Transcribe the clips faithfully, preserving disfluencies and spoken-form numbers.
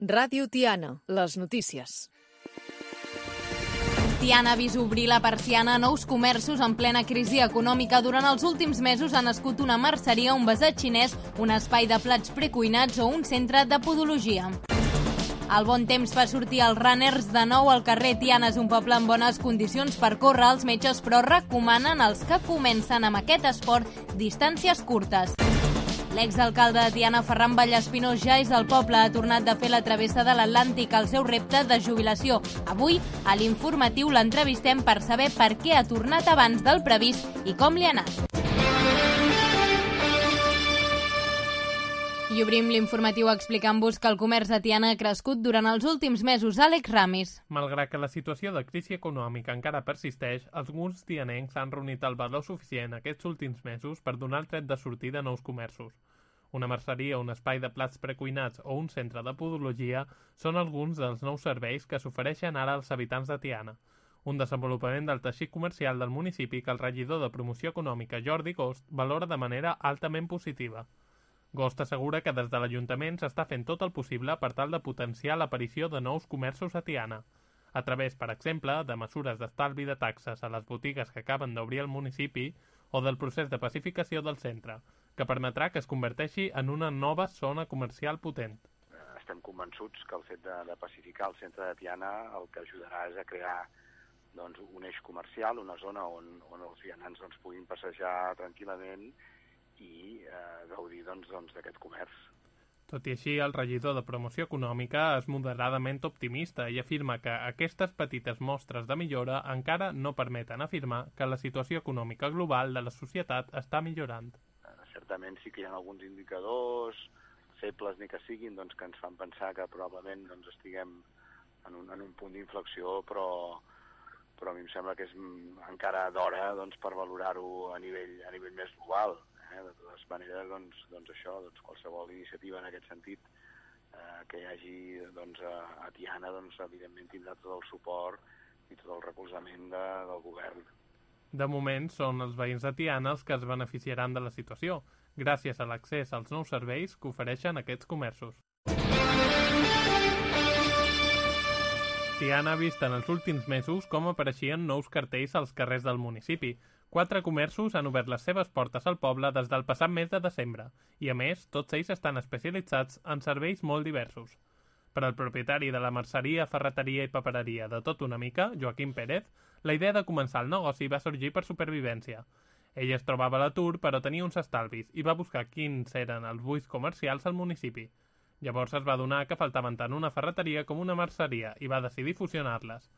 Ràdio Tiana, les notícies. Tiana ha vist obrir la persiana a nous comerços en plena crisi econòmica. Durant els últims mesos ha nascut una merceria, un besat xinès, un espai de plats precuinats o un centre de podologia. El bon temps fa sortir els runners de nou al carrer. Tiana és un poble en bones condicions per córrer. Els metges, però, recomanen als que comencen amb aquest esport distàncies curtes. L'exalcalde de Tiana, Ferran Vallespinós, ja és al poble. Ha tornat de fer la travessa de l'Atlàntic, al seu repte de jubilació. Avui, a l'informatiu, l'entrevistem per saber per què ha tornat abans del previst i com li ha anat. I obrim l'informatiu explicant-vos que el comerç de Tiana ha crescut durant els últims mesos. Àlex Ramis. Malgrat que la situació de crisi econòmica encara persisteix, alguns tianencs han reunit el valor suficient aquests últims mesos per donar el tret de sortida a nous comerços. Una merceria, un espai de plats precuinats o un centre de podologia són alguns dels nous serveis que s'ofereixen ara als habitants de Tiana. Un desenvolupament del teixit comercial del municipi que el regidor de Promoció Econòmica, Jordi Gost, valora de manera altament positiva. Gost assegura que des de l'Ajuntament s'està fent tot el possible per tal de potenciar l'aparició de nous comerços a Tiana, a través, per exemple, de mesures d'estalvi de taxes a les botigues que acaben d'obrir al municipi o del procés de pacificació del centre, que permetrà que es converteixi en una nova zona comercial potent. Estem convençuts que el fet de, de pacificar el centre de Tiana el que ajudarà és a crear doncs, un eix comercial, una zona on, on els vianants doncs, puguin passejar tranquil·lament i eh, gaudir doncs, doncs, d'aquest comerç. Tot i així, el regidor de Promoció Econòmica és moderadament optimista i afirma que aquestes petites mostres de millora encara no permeten afirmar que la situació econòmica global de la societat està millorant. Eh, certament sí que hi ha alguns indicadors, febles ni que siguin, doncs, que ens fan pensar que probablement doncs, estiguem en un, en un punt d'inflexió, però, però a mi em sembla que és encara d'hora doncs, per valorar-ho a nivell, a nivell més global. Eh? De totes maneres, doncs, doncs això, doncs, qualsevol iniciativa en aquest sentit eh, que hi hagi doncs, a, a Tiana, doncs, evidentment tindrà tot el suport i tot el recolzament de, del govern. De moment, són els veïns de Tiana els que es beneficiaran de la situació, gràcies a l'accés als nous serveis que ofereixen aquests comerços. Tiana ha vist en els últims mesos com apareixien nous cartells als carrers del municipi. Quatre comerços han obert les seves portes al poble des del passat mes de desembre i, a més, tots ells estan especialitzats en serveis molt diversos. Per al propietari de la merceria, ferreteria i papereria de Tot una mica, Joaquim Pérez, la idea de començar el negoci va sorgir per supervivència. Ell es trobava a l'atur, però tenia uns estalvis i va buscar quins eren els buits comercials al municipi. Llavors es va adonar que faltaven tant una ferreteria com una merceria i va decidir fusionar-les.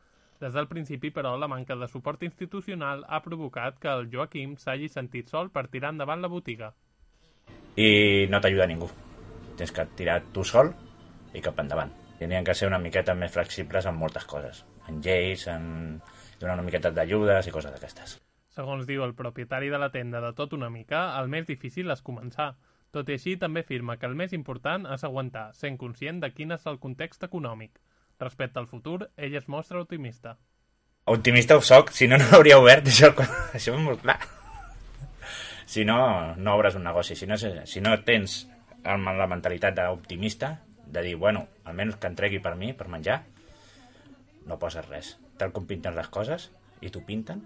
Des del principi, però, la manca de suport institucional ha provocat que el Joaquim s'hagi sentit sol per tirar endavant la botiga. I no t'ajuda ningú. Tens que tirar tu sol i cap endavant. Tenien que ser una miqueta més flexibles en moltes coses. En lleis, en donar una miqueta d'ajudes i coses d'aquestes. Segons diu el propietari de la tenda de Tot una mica, el més difícil és començar. Tot i així, també afirma que el més important és aguantar, sent conscient de quin és el context econòmic. Respecte al futur, ell es mostra optimista. Optimista ho soc, si no, no hauria obert, això, això és molt clar. Si no, no obres un negoci. Si no, si no tens la mentalitat d'optimista, de dir, bueno, almenys que entregui per mi, per menjar, no poses res. Tal com pinten les coses, i t'ho pinten,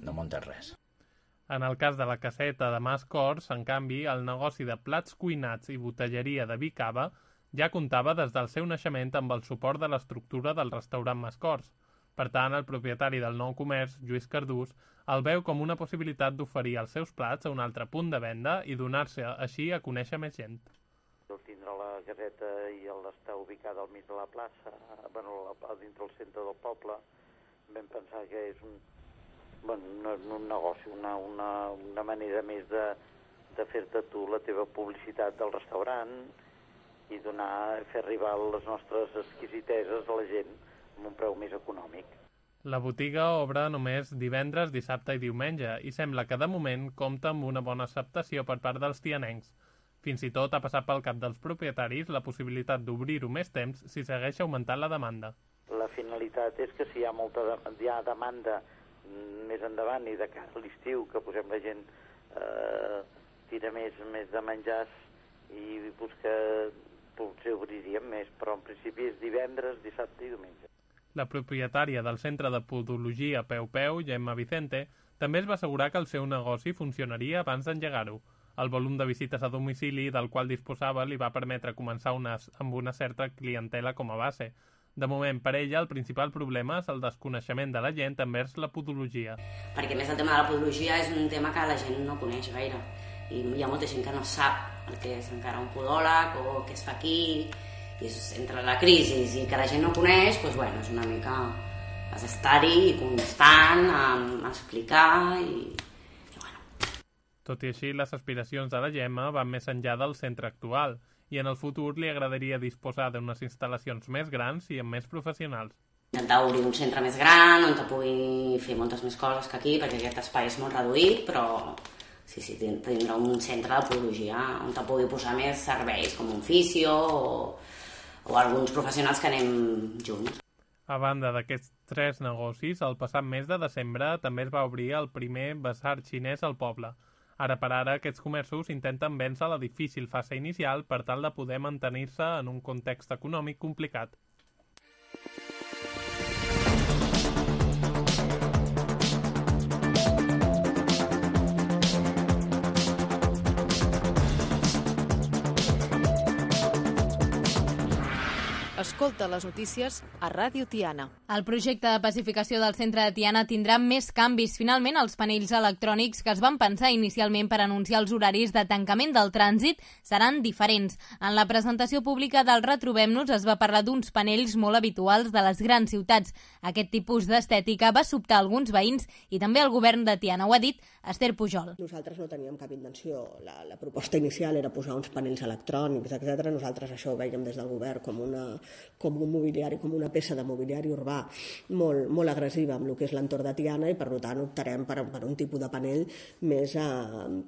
no muntes res. En el cas de la caseta de Mas Cors, en canvi, el negoci de plats cuinats i botelleria de vi cava ja comptava des del seu naixement amb el suport de l'estructura del restaurant Mas Cors. Per tant, el propietari del nou comerç, Lluís Cardús, el veu com una possibilitat d'oferir els seus plats a un altre punt de venda i donar-se així a conèixer més gent. El tindre la caseta i l'estar ubicada al mig de la plaça, bueno, dintre del centre del poble, vam pensar que és un, bueno, no, un negoci, una, una, una manera més de, de fer-te tu la teva publicitat del restaurant i donar, fer arribar les nostres exquisiteses a la gent amb un preu més econòmic. La botiga obre només divendres, dissabte i diumenge i sembla que de moment compta amb una bona acceptació per part dels tianencs. Fins i tot ha passat pel cap dels propietaris la possibilitat d'obrir-ho més temps si segueix augmentant la demanda. La finalitat és que si hi ha molta de, hi ha demanda més endavant i de cara a l'estiu, que posem la gent eh, tira més, més de menjars i busca potser obriríem més, però en principi és divendres, dissabte i diumenge. La propietària del centre de podologia Peu Peu, Gemma Vicente, també es va assegurar que el seu negoci funcionaria abans d'engegar-ho. El volum de visites a domicili del qual disposava li va permetre començar unes, amb una certa clientela com a base. De moment, per ella, el principal problema és el desconeixement de la gent envers la podologia. Perquè, més, el tema de la podologia és un tema que la gent no coneix gaire. I hi ha molta gent que no sap el que és encara un podòleg o què es fa aquí. I és, entre la crisi i que la gent no coneix, doncs, bueno, és una mica... has d'estar-hi constant, a, a explicar i... Tot i així, les aspiracions de la Gemma van més enllà del centre actual i en el futur li agradaria disposar d'unes instal·lacions més grans i amb més professionals. Intentar obrir un centre més gran on te pugui fer moltes més coses que aquí, perquè aquest espai és molt reduït, però sí, sí, tindrà un centre de podologia on te pugui posar més serveis, com un fisio o, o alguns professionals que anem junts. A banda d'aquests tres negocis, el passat mes de desembre també es va obrir el primer basar xinès al poble. Ara per ara, aquests comerços intenten vèncer la difícil fase inicial per tal de poder mantenir-se en un context econòmic complicat. Escolta les notícies a Ràdio Tiana. El projecte de pacificació del centre de Tiana tindrà més canvis. Finalment, els panells electrònics que es van pensar inicialment per anunciar els horaris de tancament del trànsit seran diferents. En la presentació pública del Retrobem-nos es va parlar d'uns panells molt habituals de les grans ciutats. Aquest tipus d'estètica va sobtar alguns veïns i també el govern de Tiana. Ho ha dit Esther Pujol. Nosaltres no teníem cap intenció. La, la proposta inicial era posar uns panells electrònics, etcètera. Nosaltres això ho veiem des del govern com una com un mobiliari, com una peça de mobiliari urbà molt, molt agressiva amb el que és l'entorn de Tiana i per tant optarem per, per un tipus de panell més eh,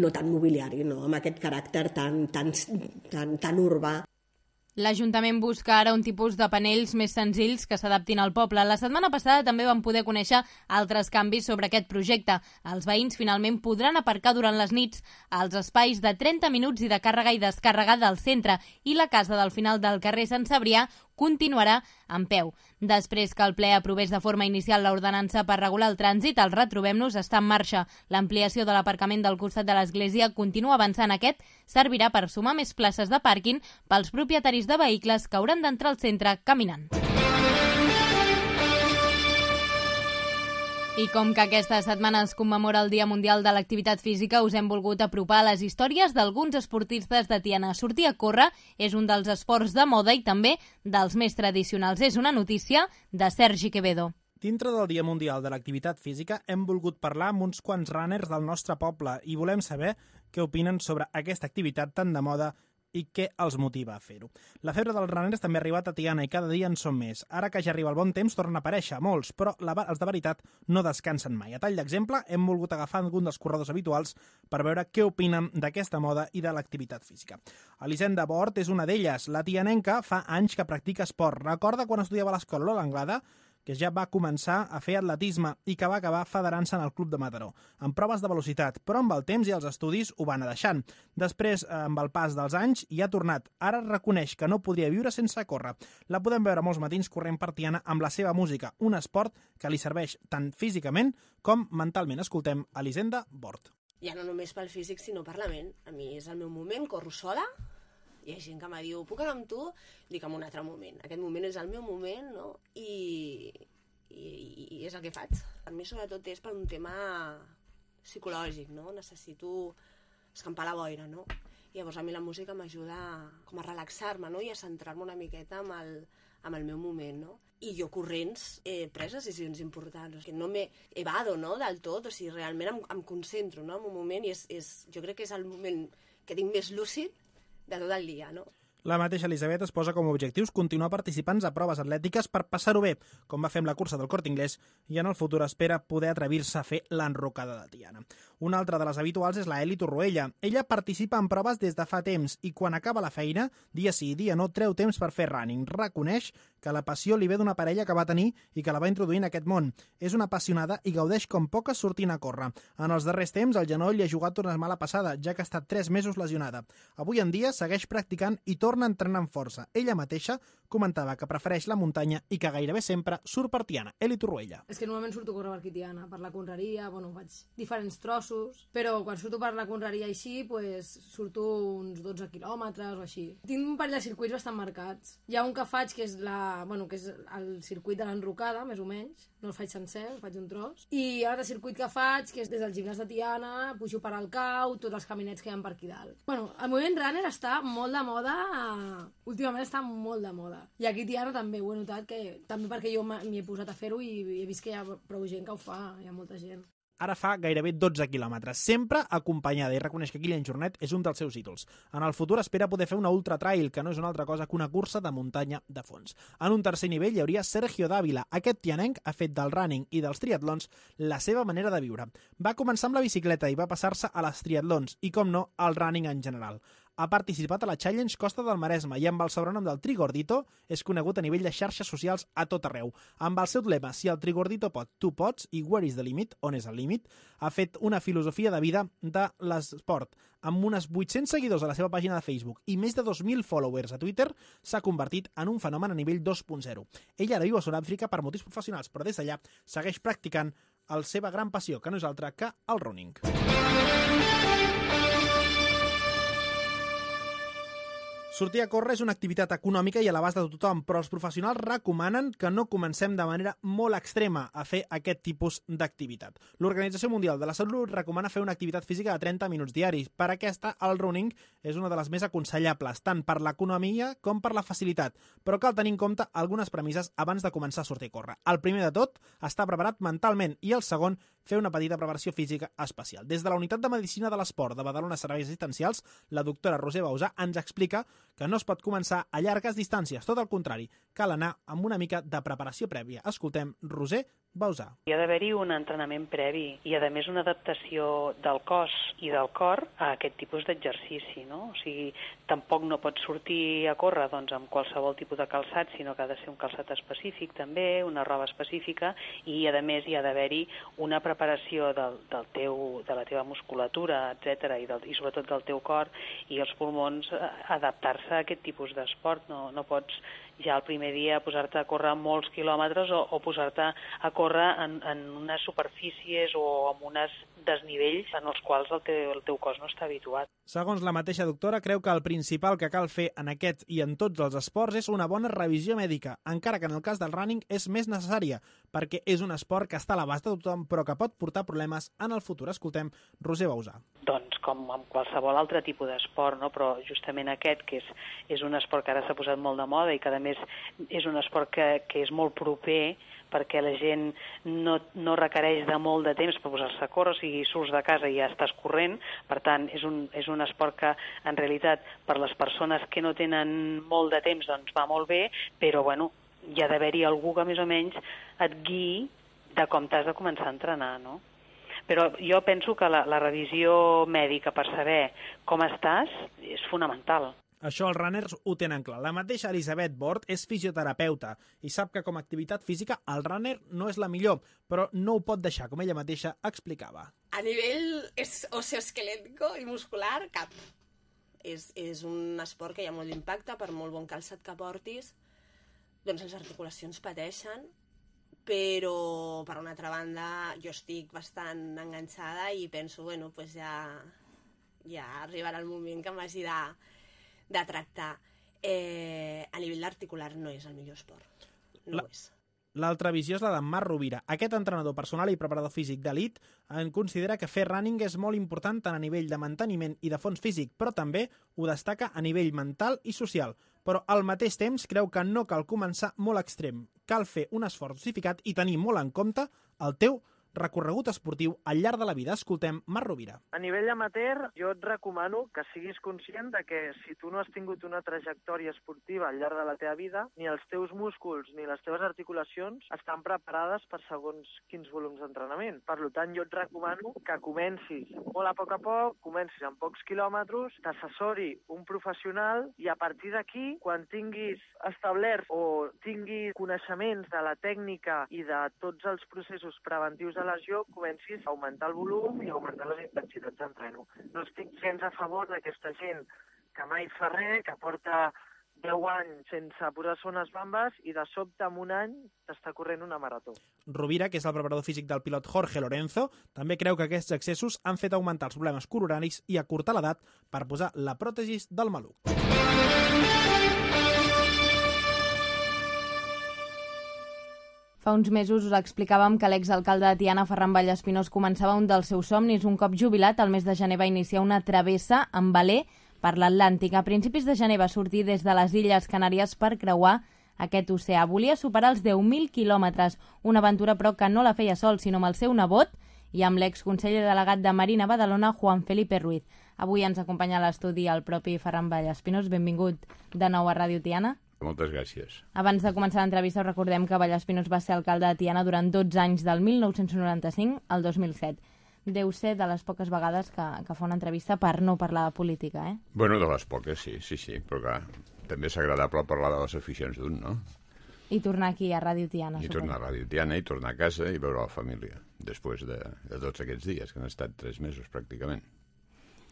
no tan mobiliari, no? Amb aquest caràcter tan, tan, tan, tan urbà. L'Ajuntament busca ara un tipus de panells més senzills que s'adaptin al poble. La setmana passada també vam poder conèixer altres canvis sobre aquest projecte. Els veïns finalment podran aparcar durant les nits als espais de trenta minuts i de càrrega i descàrrega del centre i la casa del final del carrer Sant Cebrià continuarà en peu. Després que el ple aprovés de forma inicial l'ordenança per regular el trànsit, el Retrobem-nos està en marxa. L'ampliació de l'aparcament del costat de l'església continua avançant. Aquest servirà per sumar més places de pàrquing pels propietaris de vehicles que hauran d'entrar al centre caminant. I com que aquesta setmana es commemora el Dia Mundial de l'Activitat Física, us hem volgut apropar les històries d'alguns esportistes de Tiana. Sortir a córrer és un dels esports de moda i també dels més tradicionals. És una notícia de Sergi Quevedo. Dintre del Dia Mundial de l'Activitat Física hem volgut parlar amb uns quants runners del nostre poble i volem saber què opinen sobre aquesta activitat tan de moda i què els motiva a fer-ho. La febre dels runners també ha arribat a Tiana i cada dia en són més. Ara que ja arriba el bon temps, tornen a aparèixer molts, però la, els de veritat no descansen mai. A tall d'exemple, hem volgut agafar algun dels corredors habituals per veure què opinen d'aquesta moda i de l'activitat física. Elisenda Bort és una d'elles. La tianenca fa anys que practica esport. Recorda quan estudiava a l'escola a l'Anglada, que ja va començar a fer atletisme i que va acabar federant-se en el Club de Mataró, amb proves de velocitat, però amb el temps i els estudis ho va anar deixant. Després, amb el pas dels anys, hi ha tornat. Ara reconeix que no podria viure sense córrer. La podem veure molts matins corrent per Tiana amb la seva música, un esport que li serveix tant físicament com mentalment. Escoltem Elisenda Bort. Ja no només pel físic, sinó per la ment. A mi és el meu moment, corro sola. Hi ha gent que me diu, puc anar amb tu? Dic, en un altre moment. Aquest moment és el meu moment, no? I, i, i és el que faig. Per mi, sobretot, és per un tema psicològic, no? Necessito escampar la boira, no? I llavors a mi la música m'ajuda com a relaxar-me, no? I a centrar-me una miqueta amb el, amb el meu moment, no? I jo corrents he pres decisions importants, que no m'he evado, no? Del tot, o sigui, realment em, em concentro, no? En un moment, i és, és, jo crec que és el moment que tinc més lúcid de tot el dia, no? La mateixa Elisabet es posa com a objectius continuar participant a proves atlètiques per passar-ho bé, com va fer amb la cursa del Corte Inglés, i en el futur espera poder atrevir-se a fer l'enrocada de Tiana. Una altra de les habituals és la Eli Torroella. Ella participa en proves des de fa temps i quan acaba la feina, dia sí i dia no, treu temps per fer running. Reconeix que la passió li ve d'una parella que va tenir i que la va introduir en aquest món. És una apassionada i gaudeix com poques sortint a córrer. En els darrers temps, el genoll li ha jugat una mala passada, ja que ha estat tres mesos lesionada. Avui en dia segueix practicant i torna a entrenar amb força. Ella mateixa comentava que prefereix la muntanya i que gairebé sempre surt per Tiana. Eli Torroella. És que normalment surto a córrer per aquí Tiana, per la Conreria, bueno, faig diferents trossos, però quan surto per la Conreria així, pues, surto uns dotze quilòmetres o així. Tinc un parell de circuits bastant marcats. Hi ha un que faig que és, la, bueno, que és el circuit de l'Enrocada, més o menys, no el faig sencer, el faig un tros, i hi ha un altre circuit que faig, que és des del gimnàs de Tiana, pujo per al Cau, tots els caminets que hi ha per aquí dalt. Bueno, el moviment runner està molt de moda, últimament està molt de moda. I aquí a Tiana també ho he notat, que també perquè jo m'hi he posat a fer-ho i he vist que hi ha prou gent que ho fa, hi ha molta gent. Ara fa gairebé dotze quilòmetres, sempre acompanyada, i reconeix que Kilian Jornet és un dels seus ídols. En el futur espera poder fer una ultra trail, que no és una altra cosa que una cursa de muntanya de fons. En un tercer nivell hi hauria Sergio Dávila. Aquest tianenc ha fet del running i dels triatlons la seva manera de viure. Va començar amb la bicicleta i va passar-se a les triatlons i, com no, al running en general. Ha participat a la Challenge Costa del Maresme i amb el sobrenom del Trigordito és conegut a nivell de xarxes socials a tot arreu. Amb el seu lema, si el Trigordito pot, tu pots, i where is the limit, on és el límit, ha fet una filosofia de vida de l'esport. Amb unes vuit-cents seguidors a la seva pàgina de Facebook i més de dos mil followers a Twitter, s'ha convertit en un fenomen a nivell dos punt zero. Ella ara viu a Sud-àfrica per motius professionals, però des d'allà segueix practicant la seva gran passió, que no és altra que el running. Sortir a córrer és una activitat econòmica i a l'abast de tothom, però els professionals recomanen que no comencem de manera molt extrema a fer aquest tipus d'activitat. L'Organització Mundial de la Salut recomana fer una activitat física de trenta minuts diaris. Per aquesta, el running és una de les més aconsellables, tant per l'economia com per la facilitat, però cal tenir en compte algunes premisses abans de començar a sortir a córrer. El primer de tot, estar preparat mentalment, i el segon, fer una petita preparació física especial. Des de la Unitat de Medicina de l'Esport de Badalona Serveis Assistencials, la doctora Roser Bausà ens explica que no es pot començar a llargues distàncies, tot el contrari, cal anar amb una mica de preparació prèvia. Escoltem Roser Bausà. Hi ha d'haver-hi un entrenament previ i, a més, una adaptació del cos i del cor a aquest tipus d'exercici, no? O sigui, tampoc no pots sortir a córrer doncs, amb qualsevol tipus de calçat, sinó que ha de ser un calçat específic també, una roba específica, i, a més, hi ha d'haver-hi una preparació del, del teu, de la teva musculatura, etcètera, i, del, i sobretot del teu cor i els pulmons, adaptar-se a aquest tipus d'esport. No, no pots ja el primer dia posar-te a córrer molts quilòmetres o, o posar-te a córrer en, en unes superfícies o en unes desnivells en els quals el teu, el teu cos no està habituat. Segons la mateixa doctora, creu que el principal que cal fer en aquest i en tots els esports és una bona revisió mèdica, encara que en el cas del running és més necessària, perquè és un esport que està a l'abast de tothom però que pot portar problemes en el futur. Escoltem Roser Bausà. Doncs com amb qualsevol altre tipus d'esport, no? Però justament aquest, que és, és un esport que ara s'ha posat molt de moda i que a més és un esport que, que és molt proper, perquè la gent no, no requereix de molt de temps per posar-se a córrer, o sigui, surts de casa i ja estàs corrent, per tant, és un, és un esport que, en realitat, per les persones que no tenen molt de temps, doncs va molt bé, però, bueno, hi ha d'haver-hi algú que més o menys et guiï de com t'has de començar a entrenar, no? Però jo penso que la, la revisió mèdica per saber com estàs és fonamental. Això els runners ho tenen clar. La mateixa Elisabet Bort és fisioterapeuta i sap que com a activitat física el runner no és la millor, però no ho pot deixar, com ella mateixa explicava. A nivell osteoesquelètico i muscular, cap. És, és un esport que hi ha molt d'impacte, per molt bon calçat que portis, doncs les articulacions pateixen, però per una altra banda jo estic bastant enganxada i penso, bueno, pues ja, ja arribarà el moment que m'hagi de de tractar. Eh, a nivell articular no és el millor esport. No la, ho és. L'altra visió és la d'en Marc Rovira. Aquest entrenador personal i preparador físic d'elit en considera que fer running és molt important tant a nivell de manteniment i de fons físic, però també ho destaca a nivell mental i social. Però al mateix temps creu que no cal començar molt extrem. Cal fer un esforç justificat i tenir molt en compte el teu recorregut esportiu al llarg de la vida. Escoltem Marc Rovira. A nivell amateur, jo et recomano que siguis conscient de que si tu no has tingut una trajectòria esportiva al llarg de la teva vida, ni els teus músculs ni les teves articulacions estan preparades per segons quins volums d'entrenament. Per tant, jo et recomano que comencis molt a poc a poc, comencis amb pocs quilòmetres, t'assessori un professional i a partir d'aquí, quan tinguis establert o tinguis coneixements de la tècnica i de tots els processos preventius de lesió, comencis a augmentar el volum i a augmentar les intensitats d'entreno. No estic gens a favor d'aquesta gent que mai fa res, que porta deu anys sense posar-se unes bambes i de sobte en un any t'està corrent una marató. Rovira, que és el preparador físic del pilot Jorge Lorenzo, també creu que aquests excessos han fet augmentar els problemes coronaris i acurtar l'edat per posar la pròtesi del maluc. Fa uns mesos us explicàvem que l'exalcalde de Tiana, Ferran Vallespinós, començava un dels seus somnis. Un cop jubilat, al mes de gener va iniciar una travessa amb veler per l'Atlàntic. A principis de gener va sortir des de les Illes Canàries per creuar aquest oceà. Volia superar els deu mil quilòmetres, una aventura però que no la feia sol, sinó amb el seu nebot i amb l'exconseller delegat de Marina Badalona, Juan Felipe Ruiz. Avui ens acompanya a l'estudi el propi Ferran Vallespinós. Benvingut de nou a Ràdio Tiana. Moltes gràcies. Abans de començar l'entrevista, us recordem que Vallespinós va ser alcalde de Tiana durant dotze anys, del mil nou-cents noranta-cinc al dos mil set. Deu ser de les poques vegades que, que fa una entrevista per no parlar de política, eh? Bueno, de les poques, sí, sí, sí, però clar, també és agradable parlar de les aficions d'un, no? I tornar aquí a Ràdio Tiana. I tornar a Ràdio Tiana, i tornar a casa i veure la família, després de, de tots aquests dies, que han estat tres mesos pràcticament.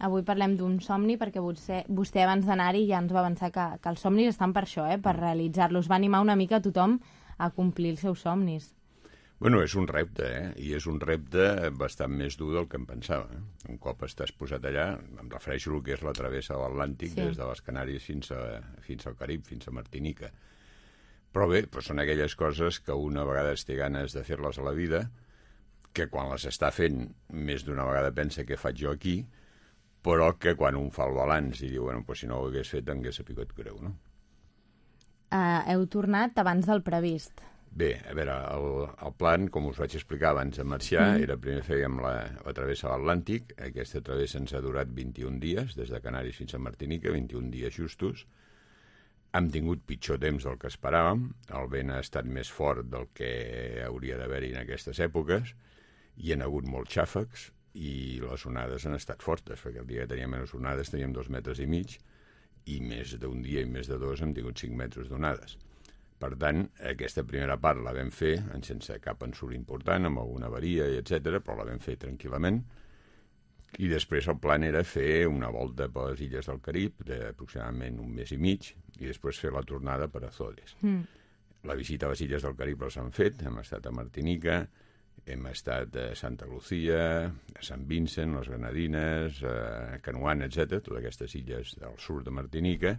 Avui parlem d'un somni perquè vostè, vostè abans d'anar-hi ja ens va avançar que, que els somnis estan per això, eh, per realitzar-los. Va animar una mica a tothom a complir els seus somnis. Bueno, és un repte, eh? I és un repte bastant més dur del que em pensava. Eh? Un cop estàs posat allà, em refereixo al que és la travessa de l'Atlàntic, sí, des de les Canàries fins, a, fins al Carib, fins a Martinica. Però bé, però són aquelles coses que una vegada té ganes de fer-les a la vida, que quan les està fent més d'una vegada pensa què faig jo aquí, però que quan un fa el balanç i diu, bueno, pues si no ho hagués fet, hagués sabut greu, no? Uh, heu tornat abans del previst. Bé, a veure, el, el plan, com us vaig explicar abans de marxar, mm. era primer fèiem la, la travessa de l'Atlàntic. Aquesta travessa ens ha durat vint-i-un dies, des de Canàries fins a Martinica, vint-i-un dies justos. Hem tingut pitjor temps del que esperàvem, el vent ha estat més fort del que hauria d'haver-hi en aquestes èpoques, hi ha hagut molts xàfecs, i les onades han estat fortes, perquè el dia que teníem menys onades teníem dos metres i mig, i més d'un dia i més de dos hem tingut cinc metres d'onades. Per tant, aquesta primera part la vam fer sense cap ensurt important, amb alguna avaria, etcètera, però la vam fer tranquil·lament, i després el plan era fer una volta per les illes del Carib, d'aproximadament un mes i mig, i després fer la tornada per Azores. Mm. La visita a les illes del Carib les han fet, hem estat a Martinica, hem estat a Santa Lucía, a Sant Vincent, les Granadines, a Canuan, etcètera, totes aquestes illes del sud de Martinica,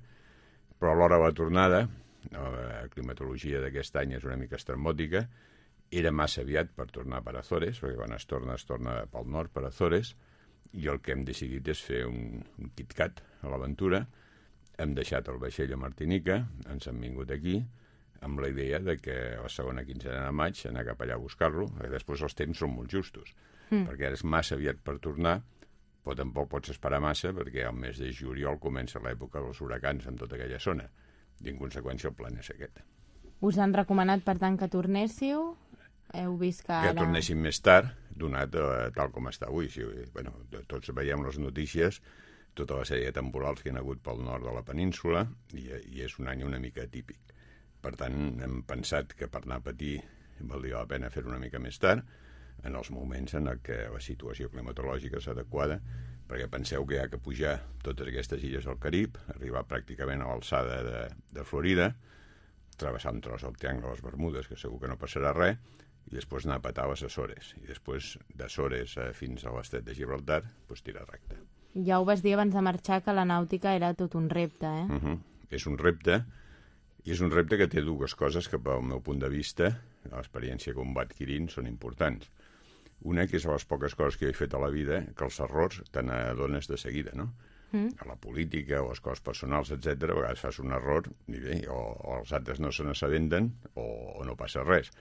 però a l'hora de la tornada, la climatologia d'aquest any és una mica estrambòtica, era massa aviat per tornar per Azores, perquè quan es torna, es torna pel nord per Azores, i el que hem decidit és fer un, un KitKat a l'aventura. Hem deixat el vaixell a Martinica, ens hem vingut aquí, amb la idea de que a la segona quinzena de maig anar cap allà a buscar-lo, perquè després els temps són molt justos, mm. perquè és massa aviat per tornar, però tampoc pots esperar massa, perquè al mes de juliol comença l'època dels huracans en tota aquella zona, i en conseqüència el plan és aquest. Us han recomanat, per tant, que tornéssiu? Heu vist que ara... Que tornéssim més tard, donat eh, tal com està avui. Si, bueno, tots veiem les notícies, tota la sèrie de temporals que hi ha hagut pel nord de la península, i, i és un any una mica atípic. Per tant, hem pensat que per anar a patir valdria la pena fer una mica més tard, en els moments en què la situació climatològica és adequada, perquè penseu que hi ha que pujar totes aquestes illes del Carib, arribar pràcticament a l'alçada de, de Florida, travessar un tros del Triangle de les Bermudes, que segur que no passarà res, i després anar a petar a les Açores, i després d'Azores fins a l'estret de Gibraltar, doncs tirar recte. Ja ho vas dir abans de marxar, que la nàutica era tot un repte, eh? Uh-huh. És un repte, i és un repte que té dues coses que, pel meu punt de vista, l'experiència que un va adquirint, són importants. Una, que és a les poques coses que he fet a la vida, que els errors te n'adones de seguida, no? Mm. A la política o les coses personals, etcètera, a vegades fas un error i bé, o, o els altres no se n'assabenten o, o no passa res.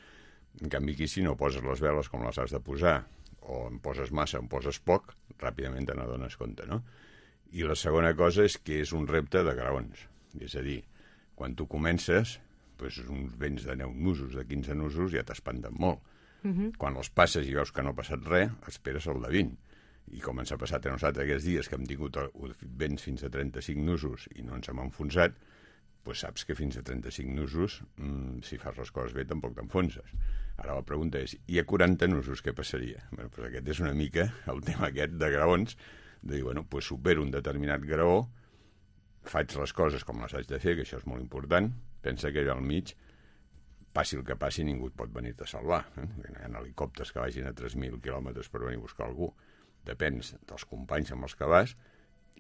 En canvi, aquí, si no poses les veles com les has de posar, o en poses massa o en poses poc, ràpidament te n'adones compte, no? I la segona cosa és que és un repte de graons. És a dir, quan tu comences, doncs uns vents de deu nusos, de quinze nusos, ja t'espanten molt. Uh-huh. Quan els passes i veus que no ha passat res, esperes el de vint. I com ens ha passat a nosaltres aquests dies, que hem tingut vents fins a trenta-cinc nusos i no ens hem enfonsat, doncs saps que fins a trenta-cinc nusos, mmm, si fas les coses bé, tampoc t'enfonses. Ara la pregunta és, hi ha quaranta nusos, què passaria? Bé, doncs aquest és una mica el tema aquest de graons, de dir, bueno, doncs supero un determinat graó, faig les coses com les haig de fer, que això és molt important, pensa que allà al mig, passi el que passi, ningú et pot venir-te a salvar. Eh? Hi ha helicòpters que vagin a tres mil quilòmetres per venir a buscar algú. Depens dels companys amb els que vas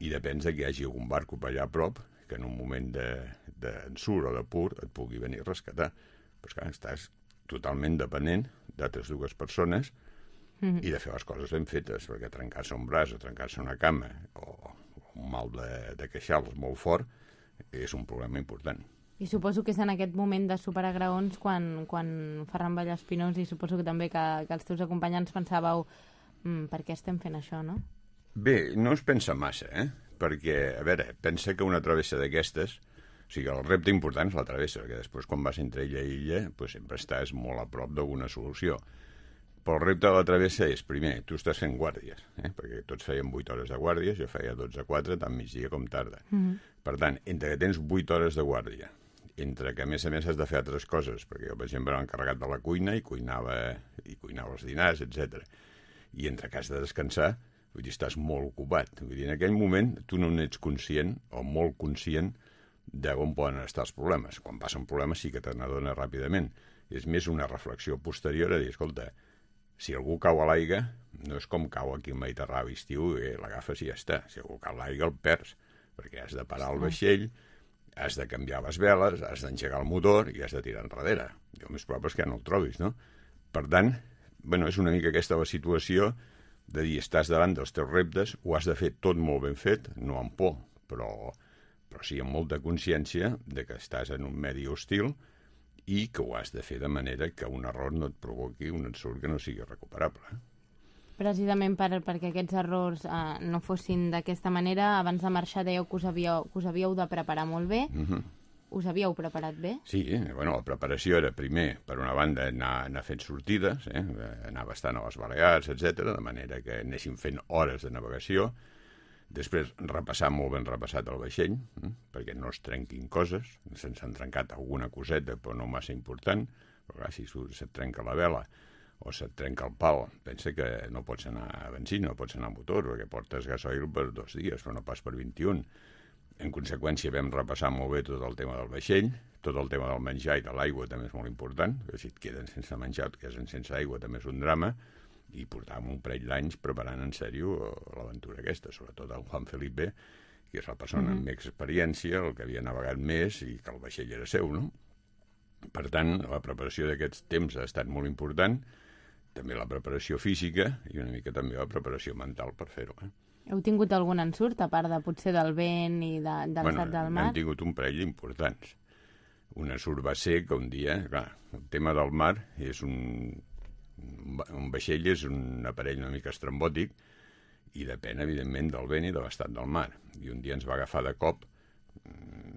i depens de que hi hagi algun barco per allà a prop que en un moment d'ensurt o de pur et pugui venir a rescatar. Però és que estàs totalment dependent d'altres dues persones mm-hmm. i de fer les coses ben fetes, perquè trencar-se un braç o trencar-se una cama o un mal de, de queixals molt fort és un problema important. I suposo que és en aquest moment de superar graons quan, quan Ferran Vallespinós, i suposo que també que, que els teus acompanyants pensàveu mm, per què estem fent això, no? Bé, no es pensa massa, eh? Perquè, a veure, pensa que una travessa d'aquestes, o sigui, el repte important és la travessa, perquè després quan vas entre illa i illa, doncs sempre estàs molt a prop d'alguna solució. Però el repte de la travessa és, primer, tu estàs fent guàrdies, eh? Perquè tots feien vuit hores de guàrdies, jo feia dotze a quatre, tant migdia com tarda. Mm-hmm. Per tant, entre que tens vuit hores de guàrdia, entre que a més a més has de fer altres coses, perquè jo, per exemple, era encarregat de la cuina i cuinava, i cuinava els dinars, etcètera. I entre que has de descansar, vull dir, estàs molt ocupat. Vull dir, en aquell moment tu no n'ets conscient, o molt conscient, d'on poden estar els problemes. Quan passen problemes sí que te n'adones ràpidament. És més una reflexió posterior a dir, escolta, si algú cau a l'aigua, no és com cau aquí al Mediterrani estiu, eh, l'agafes i ja està. Si algú cau a l'aigua el perds, perquè has de parar el vaixell, has de canviar les veles, has d'engegar el motor i has de tirar enrere. I el més probable és que ja no el trobis, no? Per tant, bueno, és una mica aquesta la situació de dir, estàs davant dels teus reptes, ho has de fer tot molt ben fet, no amb por, però, però sí amb molta consciència de que estàs en un medi hostil i que ho has de fer de manera que un error no et provoqui un ensurt que no sigui recuperable. Precisament per, perquè aquests errors eh, no fossin d'aquesta manera, abans de marxar dèieu que us havíeu, que us havíeu de preparar molt bé. Mm-hmm. Us havíeu preparat bé? Sí, bueno, la preparació era primer, per una banda, anar, anar fent sortides, eh? Anar bastant a les Balears, etcètera, de manera que anéssim fent hores de navegació. Després, repassar molt ben repassat el vaixell, eh? Perquè no es trenquin coses. Se'ns han trencat alguna coseta, però no massa important. Però clar, si se't trenca la vela o se't trenca el pal, pensa que no pots anar a benzina, no pots anar a motor, perquè portes gasoil per dos dies, però no pas per vint-i-un. En conseqüència vam repassar molt bé tot el tema del vaixell, tot el tema del menjar i de l'aigua també és molt important, que si et queden sense menjar o et queden sense aigua també és un drama, i portàvem un parell d'anys preparant en sèrio l'aventura aquesta, sobretot el Juan Felipe, que és la persona mm-hmm. amb més experiència, el que havia navegat més i que el vaixell era seu, no? Per tant, la preparació d'aquests temps ha estat molt important, també la preparació física i una mica també la preparació mental per fer-ho, eh? Heu tingut algun ensurt, a part de potser del vent i de, de l'estat bueno, del mar? Hem tingut un parell d'importants. Un ensurt va ser que un dia, clar, el tema del mar és un... Un vaixell és un aparell una mica estrambòtic i depèn, evidentment, del vent i de l'estat del mar. I un dia ens va agafar de cop,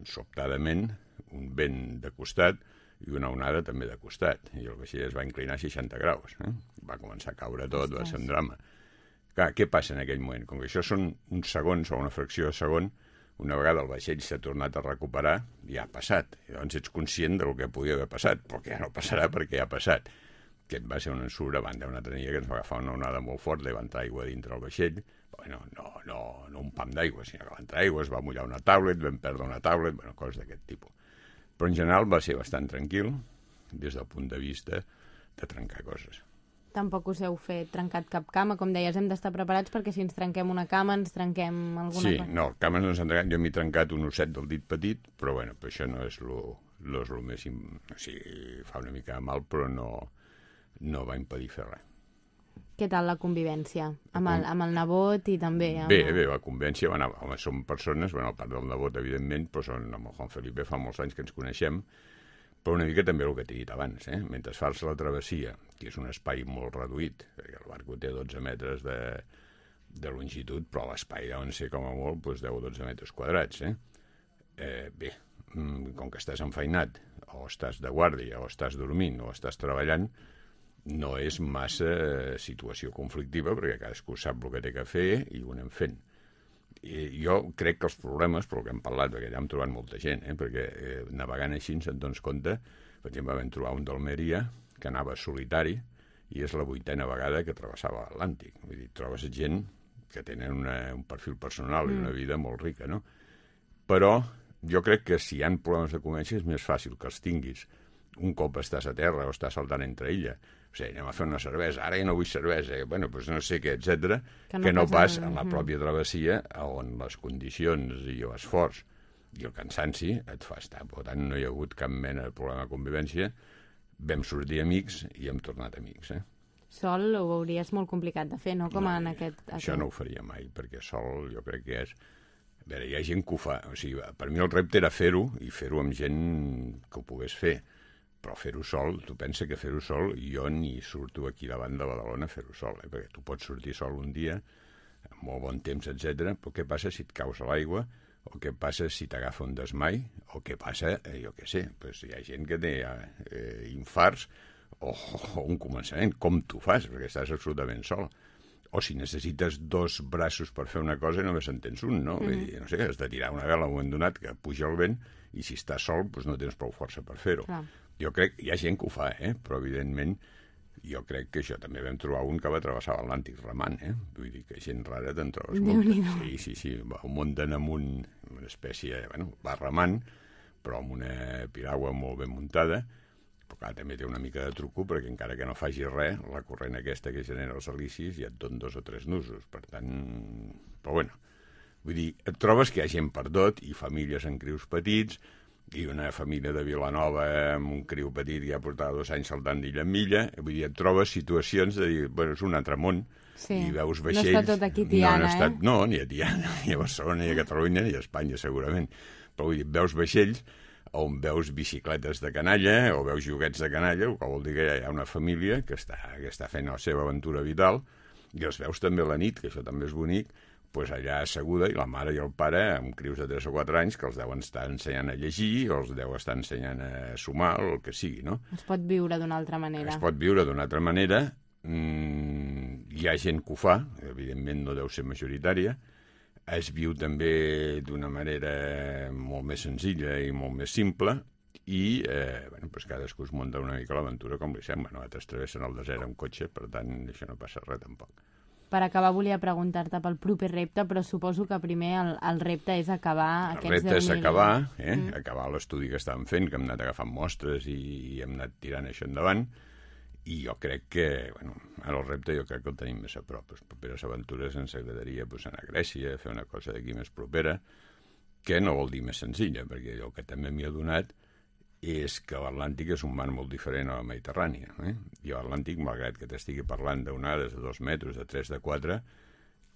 sobtadament, un vent de costat i una onada també de costat. I el vaixell es va inclinar a seixanta graus. Eh? Va començar a caure tot, va ser un drama. Clar, què passa en aquell moment? Com que això són uns segons o una fracció de segon, una vegada el vaixell s'ha tornat a recuperar, ja ha passat. I llavors ets conscient del que podia haver passat, però que ja no passarà perquè ja ha passat. Aquest va ser un ensurt a banda d'una altra nit que ens va agafar una onada molt forta i va entrar aigua dintre el vaixell. Bueno, no, no, no un pam d'aigua, sinó que va entrar aigua, es va mullar una tablet, vam perdre una tablet, bueno, coses d'aquest tipus. Però en general va ser bastant tranquil des del punt de vista de trencar coses. Tampoc us heu fet trencat cap cama, com deies, hem d'estar preparats perquè si ens trenquem una cama ens trenquem alguna sí, cosa. Sí, no, cames no s'han trencat, jo m'he trencat un osset del dit petit, però bueno, però això no és lo, lo, és lo més... O sigui, fa una mica de mal, però no, no va impedir fer res. Què tal la convivència? Amb el, amb el nebot i també... Amb... Bé, bé, la convivència, bueno, home, som persones, bueno, a part del nebot, evidentment, però són, amb el Juan Felipe fa molts anys que ens coneixem, Però una mica també el que t'he dit abans, eh? Mentre fas la travessia, que és un espai molt reduït, perquè el barco té dotze metres de, de longitud, però l'espai deuen ser com a molt doncs deu o dotze metres quadrats, eh? Eh, bé, com que estàs enfeinat, o estàs de guàrdia, o estàs dormint, o estàs treballant, no és massa situació conflictiva, perquè cadascú sap el que té que fer i ho anem fent. I jo crec que els problemes, pel que hem parlat, perquè ja hem trobat molta gent, eh, perquè eh, navegant així se'n dones compte, per exemple, vam trobar un d'Almeria que anava solitari i és la vuitena vegada que travessava l'Atlàntic. Vull dir, trobes gent que tenen una, un perfil personal mm. i una vida molt rica, no? Però jo crec que si hi ha problemes de convivència és més fàcil que els tinguis un cop estàs a terra o estàs saltant entre illa. O sigui, anem a fer una cervesa, ara ja no vull cervesa, eh? Bueno, doncs no sé què, etcètera, que no, que no pas en la pròpia travessia on les condicions i l'esforç i el cansanci et fa estar. Per tant, no hi ha hagut cap mena de problema de convivència. Vam sortir amics i hem tornat amics, eh? Sol ho veuries molt complicat de fer, no? Com no, en aquest... Això aquest... no ho faria mai, perquè sol jo crec que és... A veure, hi ha gent que ho fa. O sigui, per mi el repte era fer-ho i fer-ho amb gent que ho pogués fer. Però fer-ho sol, tu pensa que fer-ho sol, jo ni surto aquí davant de Badalona a fer-ho sol, eh? Perquè tu pots sortir sol un dia, amb molt bon temps, etcètera, però què passa si et caus a l'aigua, o què passa si t'agafa un desmai, o què passa, eh, jo què sé, pues hi ha gent que té eh, infarts o, o un començament, com tu fas, perquè estàs absolutament sol. O si necessites dos braços per fer una cosa i només en tens un, no? Mm-hmm. Vull dir, no sé, has de tirar una vela a un moment donat que puja el vent i si estàs sol doncs no tens prou força per fer-ho. Clar. Jo crec que hi ha gent que ho fa, eh? Però evidentment jo crec que això també vam trobar un que va travessar l'Atlàntic remant, eh? Vull dir que gent rara te'n trobes molt. Sí, sí, sí, va un munt amunt, una espècie, bueno, va remant, però amb una piragua molt ben muntada, però clar, també té una mica de truco, perquè encara que no faci res, la corrent aquesta que genera els helicis ja et dona dos o tres nusos, per tant... Però bueno, vull dir, et trobes que hi ha gent per tot, i famílies en crius petits, i una família de Vilanova amb un criu petit que ja portava dos anys saltant d'illa en milla, vull dir, et trobes situacions de dir, bueno, és un altre món, sí. I veus vaixells... No està tot aquí Tiana, no, no, estat, eh? no, ni a Tiana, ni a Barcelona, ni a Catalunya, ni a Espanya, segurament. Però vull dir, veus vaixells on veus bicicletes de canalla o veus joguets de canalla, el que vol dir que hi ha una família que està, que està fent la seva aventura vital, i els veus també a la nit, que això també és bonic, pues allà asseguda, i la mare i el pare amb crius de tres o quatre anys que els deuen estar ensenyant a llegir o els deu estar ensenyant a sumar o el que sigui, no? Es pot viure d'una altra manera. Es pot viure d'una altra manera. Mm, hi ha gent que ho fa, evidentment no deu ser majoritària. Es viu també d'una manera molt més senzilla i molt més simple i eh, bueno, pues cadascú es munta una mica l'aventura com li sembla. No? Altres travessen el desert amb cotxe, per tant això no passa res tampoc. Per acabar, volia preguntar-te pel proper repte, però suposo que primer el, el repte és acabar el aquests deu mil... El repte és acabar, eh? mm. acabar l'estudi que estàvem fent, que hem anat agafant mostres i, i hem anat tirant això endavant, i jo crec que, bueno, ara el repte jo crec que el tenim més a prop. Les properes aventures ens agradaria pues, anar a Grècia, fer una cosa d'aquí més propera, que no vol dir més senzilla, perquè el que també m'hi ha donat és que l'Atlàntic és un mar molt diferent a la Mediterrània. Eh? I l'Atlàntic, malgrat que t'estigui parlant d'onades de dos metres, de tres, de quatre,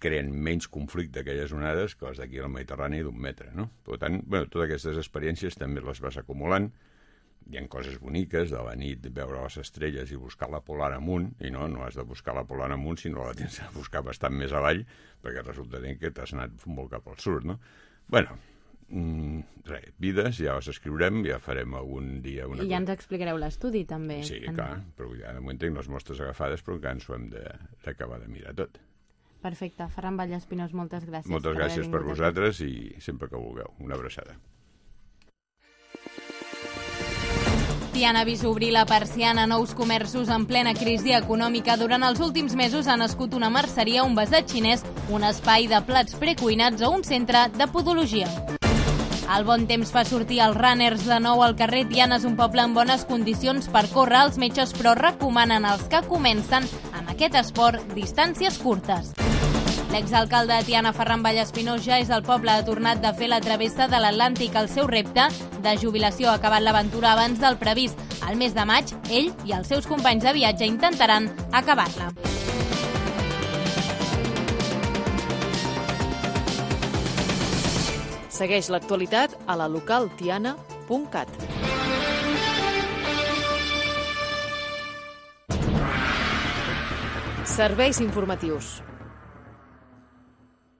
creen menys conflicte aquelles onades que les d'aquí a la Mediterrània d'un metre. No? Per tant, bueno, totes aquestes experiències també les vas acumulant. Hi ha coses boniques, de la nit veure les estrelles i buscar la polar amunt, i no, no has de buscar la polar amunt, sinó la tens de buscar bastant més avall, perquè resulta que t'has anat molt cap al sud, no? Bueno, Mm, res, vides, ja les escriurem, ja farem algun dia una I ja ens explicareu l'estudi, també. Sí, en... clar, però ja de moment tinc les mostres agafades, però encara ens ho hem d'acabar de, de mirar tot. Perfecte. Ferran Vallespinós, moltes gràcies. Moltes per gràcies per vosaltres i sempre que vulgueu. Una abraçada. Tiana ha vist obrir la persiana a nous comerços en plena crisi econòmica. Durant els últims mesos ha nascut una merceria, un besat xinès, un espai de plats precuinats o un centre de podologia. El bon temps fa sortir els runners de nou al carrer. Tiana és un poble en bones condicions per córrer. Els metges, però, recomanen als que comencen en aquest esport distàncies curtes. L'exalcalde de Tiana, Ferran Vallespinós, ja és al poble. Ha tornat de fer la travessa de l'Atlàntic. El seu repte de jubilació ha acabat l'aventura abans del previst. Al mes de maig, ell i els seus companys de viatge intentaran acabar-la. Segueix l'actualitat a la local tiana punt cat. Serveis informatius.